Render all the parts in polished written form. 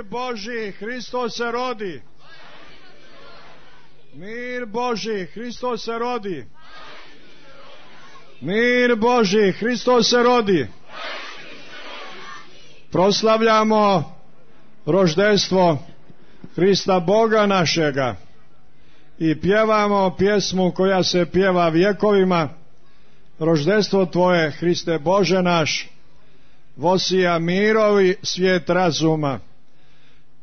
Mir Božji, Hristos se rodi. Mir Božji, Hristos se rodi. Mir Božji, Hristos se rodi. Proslavljamo roždestvo Hrista Boga našega i pjevamo pjesmu koja se pjeva vjekovima. Roždestvo Tvoje, Hriste Bože naš, vosija mirovi svijet razuma.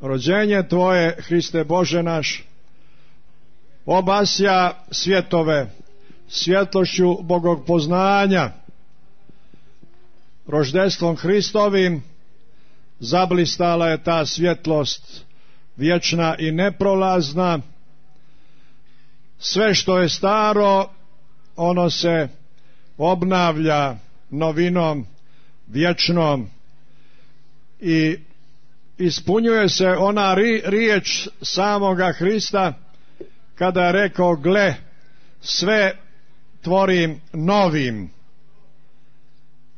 Rođenje Tvoje, Hriste Bože naš, obasja svjetove svjetlošću Bogog poznanja. Roždestvom Hristovim zablistala je ta svjetlost vječna i neprolazna. Sve što je staro, ono se obnavlja novinom vječnom i ispunjuje se ona riječ samoga Hrista kada je rekao: gle, sve tvorim novim.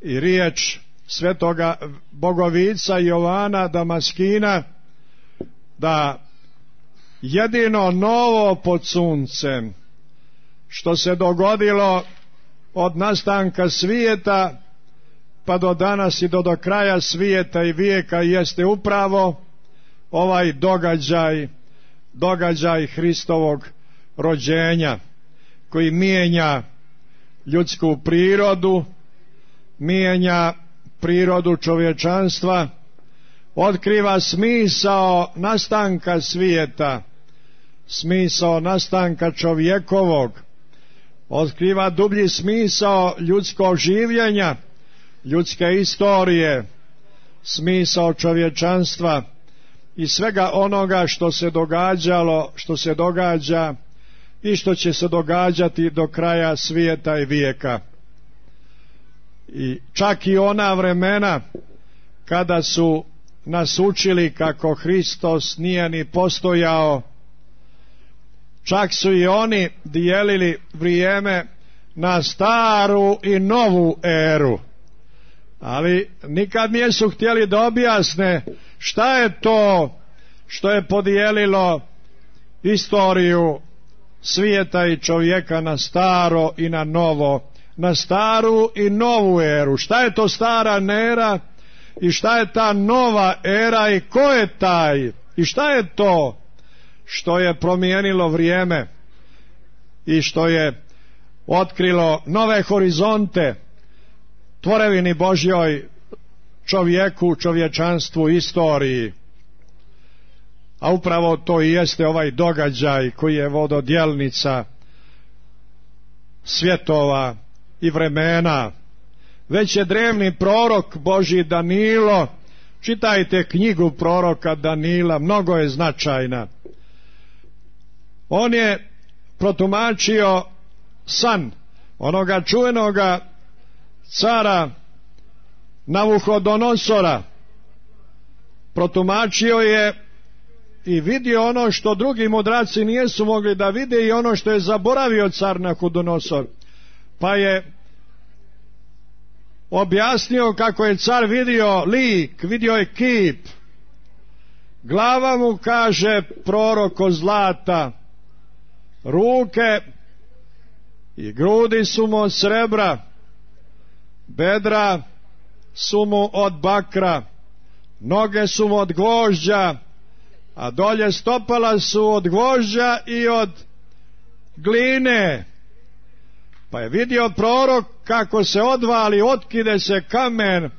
I riječ svetoga bogovica Jovana Damaskina da jedino novo pod suncem što se dogodilo od nastanka svijeta pa do danas i do kraja svijeta i vijeka jeste upravo ovaj događaj Hristovog rođenja, koji mijenja ljudsku prirodu, mijenja prirodu čovječanstva, otkriva smisao nastanka svijeta, smisao nastanka čovjekovog, otkriva dublji smisao ljudskog življenja, ljudske istorije, smisao čovječanstva i svega onoga što se događalo, što se događa i što će se događati do kraja svijeta i vijeka. I čak i ona vremena kada su nas učili kako Hristos nije ni postojao, čak su i oni dijelili vrijeme na staru i novu eru, ali nikad nisu htjeli da objasne šta je to što je podijelilo istoriju svijeta i čovjeka na staro i na novo, na staru i novu eru. Šta je to stara era i šta je ta nova era i ko je taj i šta je to što je promijenilo vrijeme i što je otkrilo nove horizonte tvorevini Božjoj, čovjeku, čovječanstvu, istoriji. A upravo to i jeste ovaj događaj koji je vododjelnica svjetova i vremena. Već je drevni prorok Božji Danilo, čitajte knjigu proroka Danila, mnogo je značajna. On je protumačio san onoga čuvenoga cara Navuhodonosora. Protumačio je i vidio ono što drugi mudraci nisu mogli da vide i ono što je zaboravio car Navuhodonosor. Pa je objasnio kako je car vidio lik, vidio je kip. Glava mu, kaže prorok, od zlata, ruke i grudi su mu od srebra, bedra su mu od bakra, noge su mu od gvožđa, a dolje stopala su od gvožđa i od gline. Pa je vidio prorok kako se odvali, otkide se kamen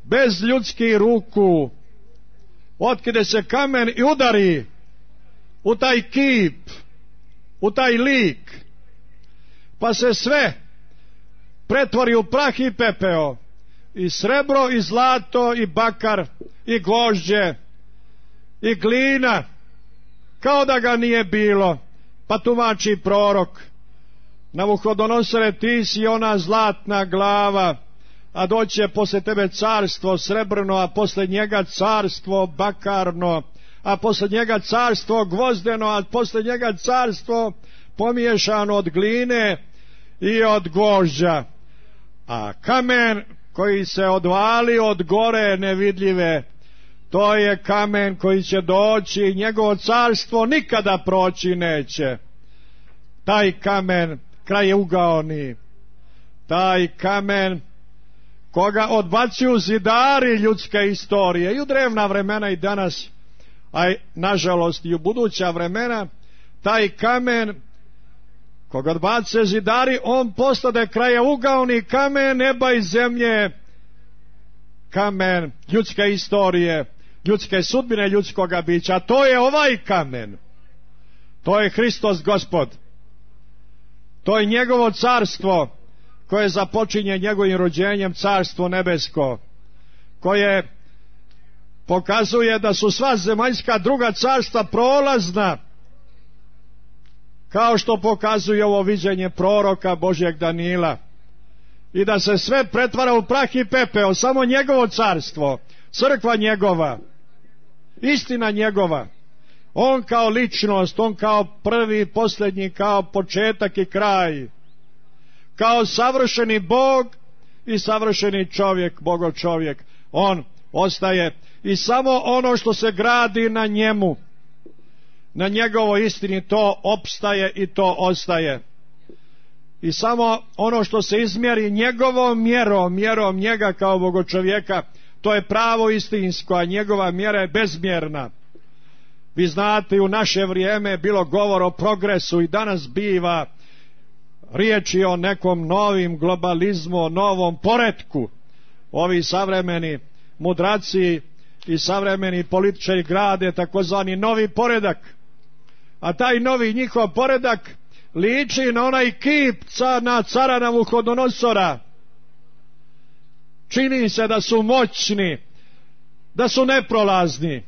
bez ljudskih ruku, otkide se kamen i udari u taj kip, u taj lik, pa se sve pretvori u prah i pepeo, i srebro i zlato i bakar i gvožđe i glina, kao da ga nije bilo. Pa tumači prorok: Navuhodonosore, ti si ona zlatna glava, a doće posle tebe carstvo srebrno, a posle njega carstvo bakarno, a posle njega carstvo gvozdeno, a posle njega carstvo pomiješano od gline i od gvožđa. A kamen koji se odvali od gore nevidljive To je kamen koji će doći i njegovo carstvo nikada proći neće. Taj kamen krajeugaoni, taj kamen koga odbacuju zidari ljudske istorije i u drevna vremena i danas, a nažalost i u buduća vremena, taj kamen koga odbace zidari, on postade krajeugaoni kamen neba i zemlje, kamen ljudske istorije, ljudske sudbine, ljudskoga bića. To je ovaj kamen, to je Hristos Gospod, to je njegovo carstvo koje započinje njegovim rođenjem, carstvo nebesko, koje pokazuje da su sva zemaljska druga carstva prolazna, kao što pokazuje ovo viđenje proroka Božjeg Danila, i da se sve pretvara u prah i pepeo, samo njegovo carstvo, crkva njegova, istina njegova, on kao ličnost, on kao prvi i posljednji, kao početak i kraj, kao savršeni Bog i savršeni čovjek, Bogov čovjek, on ostaje i samo ono što se gradi na njemu, na njegovoj istini, to opstaje i to ostaje. I samo ono što se izmjeri njegovom mjerom njega kao bogočovjeka, to je pravo istinsko, a njegova mjera je bezmjerna. Vi znate, u naše vrijeme je bilo govor o progresu i danas biva riječi o nekom novim globalizmu, o novom poretku. Ovi savremeni mudraci i savremeni političari grade takozvani novi poredak, a taj novi njihov poredak liči na onaj kip na cara Navuhodonosora. Čini se da su moćni, da su neprolazni.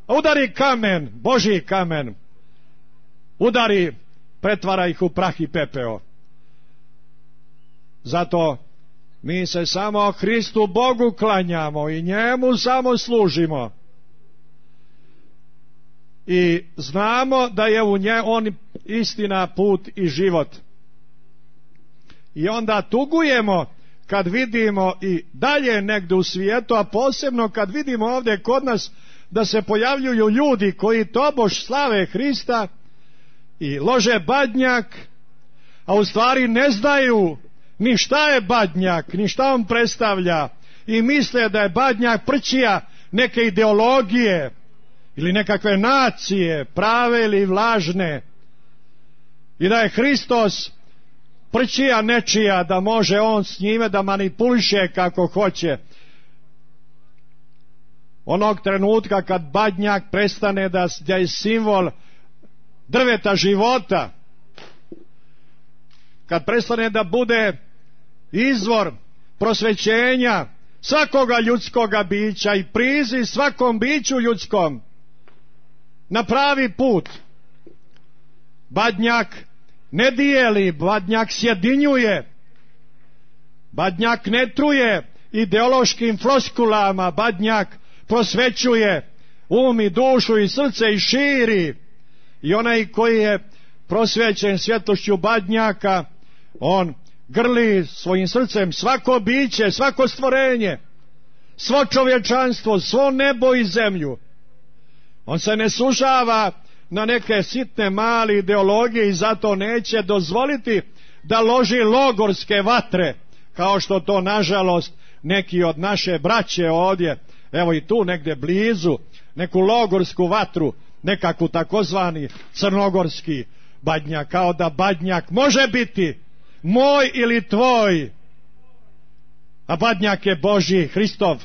Udari kamen, Božji kamen, udari, pretvara ih u prah i pepeo. Zato mi se samo Hristu Bogu klanjamo i njemu samo služimo. I znamo da je u on istina, put i život. I onda tugujemo kad vidimo i dalje negdje u svijetu, a posebno kad vidimo ovdje kod nas da se pojavljuju ljudi koji tobož slave Hrista i lože badnjak, a u stvari ne znaju ni šta je badnjak, ni šta on predstavlja, i misle da je badnjak prćija neke ideologije ili nekakve nacije, prave ili vlažne, i da je Hristos prćija nečija, da može on s njime da manipuliše kako hoće. Onog trenutka kad badnjak prestane da je simbol drveta života, kad prestane da bude izvor prosvećenja svakoga ljudskoga bića i priziv svakom biću ljudskom na pravi put, badnjak ne dijeli, badnjak sjedinjuje, badnjak ne truje ideološkim floskulama, badnjak prosvećuje um i dušu i srce i širi. I onaj koji je prosvećen svjetlošću badnjaka, on grli svojim srcem svako biće, svako stvorenje, svo čovječanstvo, svo nebo i zemlju. On se ne sužava na neke sitne male ideologije i zato neće dozvoliti da loži logorske vatre, kao što to nažalost neki od naše braće ovdje, evo i tu negdje blizu, neku logorsku vatru, nekakvu takozvani crnogorski badnjak, kao da badnjak može biti moj ili tvoj, a badnjak je Božji, Hristov,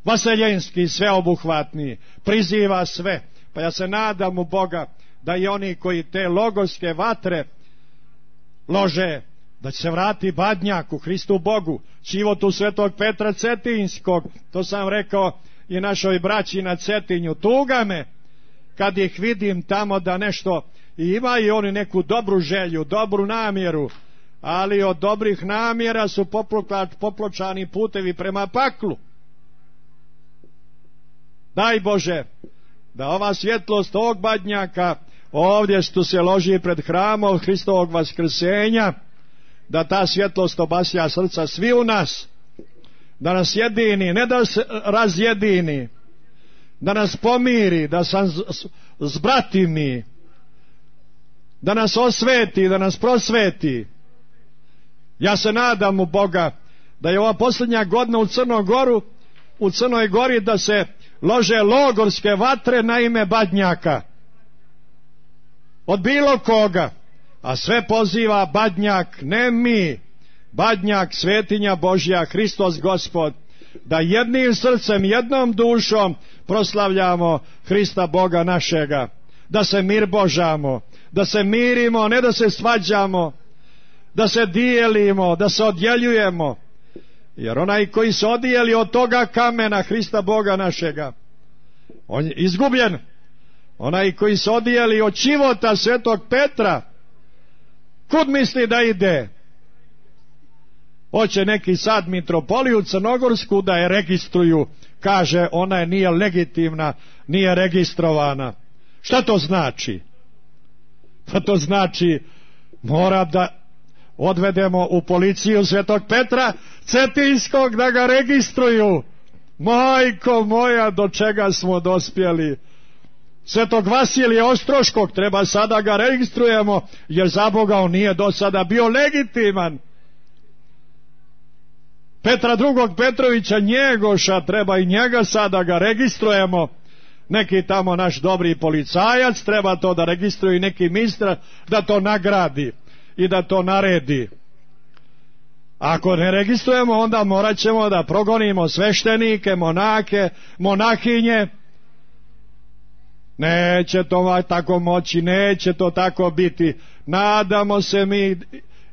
vaseljenski, sveobuhvatni, priziva sve. Pa ja se nadam u Boga da i oni koji te logorske vatre lože, da će se vrati badnjak u Hristu Bogu, životu svetog Petra Cetinjskog. To sam rekao i našoj braći na Cetinju. Tuga me kad ih vidim tamo da nešto, i imaju oni neku dobru želju, dobru namjeru, ali od dobrih namjera su popločani putevi prema paklu. Daj Bože da ova svjetlost ovog badnjaka ovdje što se loži pred hramom Hristovog vaskrsenja, da ta svjetlost obasja srca svi u nas, da nas jedini, ne da se razjedini, da nas pomiri, da sam zbratimi, da nas osveti, da nas prosveti. Ja se nadam u Boga da je ova posljednja godina u Crnoj Gori da se lože logorske vatre na ime Badnjaka. Od bilo koga. A sve poziva Badnjak, ne mi. Badnjak, svetinja Božja, Hristos Gospod. Da jednim srcem, jednom dušom proslavljamo Hrista Boga našega. Da se mir božamo, da se mirimo, ne da se svađamo, da se dijelimo, da se odjeljujemo. Jer onaj koji se odijeli od toga kamena Hrista Boga našega, on je izgubljen. Onaj koji se odijeli od života svetog Petra, kud misli da ide? Hoće neki sad mitropoliju crnogorsku da je registruju, kaže ona je nije legitimna, nije registrovana. Šta to znači? Pa to znači mora da odvedemo u policiju svetog Petra Cetinskog da ga registruju. Majko moja, do čega smo dospjeli? Svetog Vasilija Ostroškog treba sada ga registrujemo, jer za Boga on nije do sada bio legitiman. Petra II. Petrovića Njegoša treba i njega sada ga registrujemo. Neki tamo naš dobri policajac treba to da registruje i neki ministar da to nagradi i da to naredi. Ako ne registrujemo, onda morat ćemo da progonimo sveštenike, monake, monahinje. Neće to tako moći, neće to tako biti. Nadamo se mi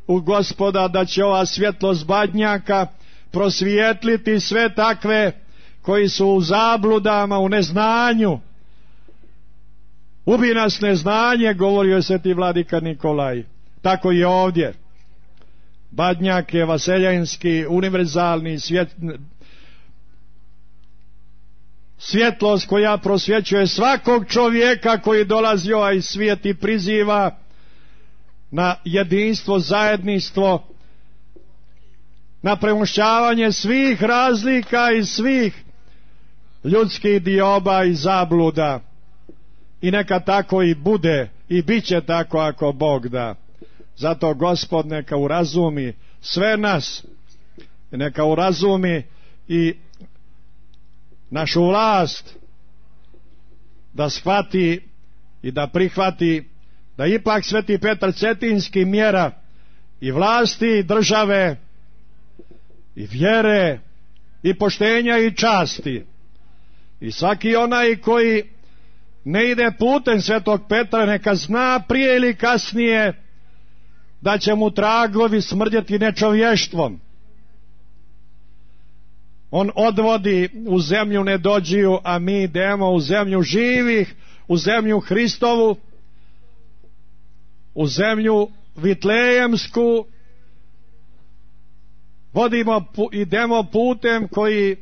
u Gospoda da će ova svjetlost Badnjaka prosvijetliti sve takve koji su u zabludama, u neznanju. Ubi nas neznanje, govorio je sveti vladika Nikolaj. Tako i ovdje. Badnjak je vaseljanski, univerzalni svjetlost koja prosvjećuje svakog čovjeka koji dolazi ovaj svijet i priziva na jedinstvo, zajedništvo, na premošćavanje svih razlika i svih ljudskih dioba i zabluda. I neka tako i bude i bit će tako ako Bog da. Zato Gospod neka urazumi sve nas, neka urazumi i našu vlast da shvati i da prihvati da ipak sveti Petar Cetinski mjera i vlasti i države i vjere i poštenja i časti. I svaki onaj koji ne ide putem svetog Petra neka zna prije ili kasnije da će mu tragovi smrdjeti nečovještvom. On odvodi u zemlju nedođiju, a mi idemo u zemlju živih, u zemlju Hristovu, u zemlju Vitlejemsku. Idemo putem koji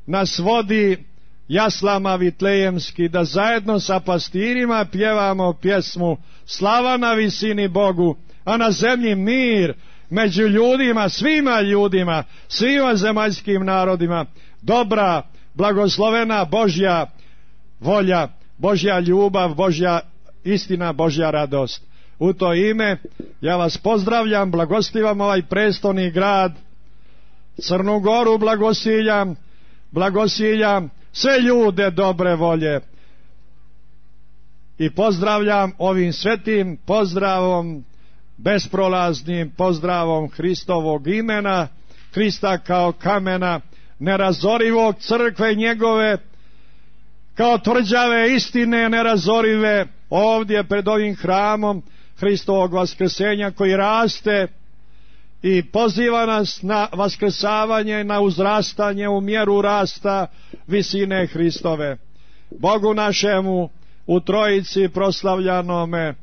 nas vodi jaslama Vitlejemski, da zajedno sa pastirima pjevamo pjesmu Slava na visini Bogu, a na zemlji mir među ljudima, svima zemaljskim narodima, dobra, blagoslovena Božja volja, Božja ljubav, Božja istina, Božja radost. U to ime ja vas pozdravljam, blagostivam ovaj prestolni grad, Crnu Goru blagosiljam sve ljude dobre volje i pozdravljam ovim svetim pozdravom, besprolaznim pozdravom Hristovog imena, Hrista kao kamena nerazorivog, crkve njegove kao tvrđave istine nerazorive, ovdje pred ovim hramom Hristovog vaskrsenja koji raste i poziva nas na vaskrsavanje, na uzrastanje u mjeru rasta visine Hristove. Bogu našemu u Trojici proslavljanome,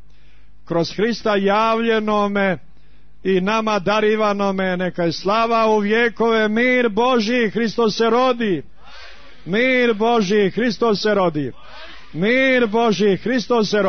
kroz Hrista javljenome i nama darivanome, neka je slava u vjekove. Mir Božji, Hristos se rodi. Mir Božji, Hristos se rodi. Mir Božji, Hristos se rodi.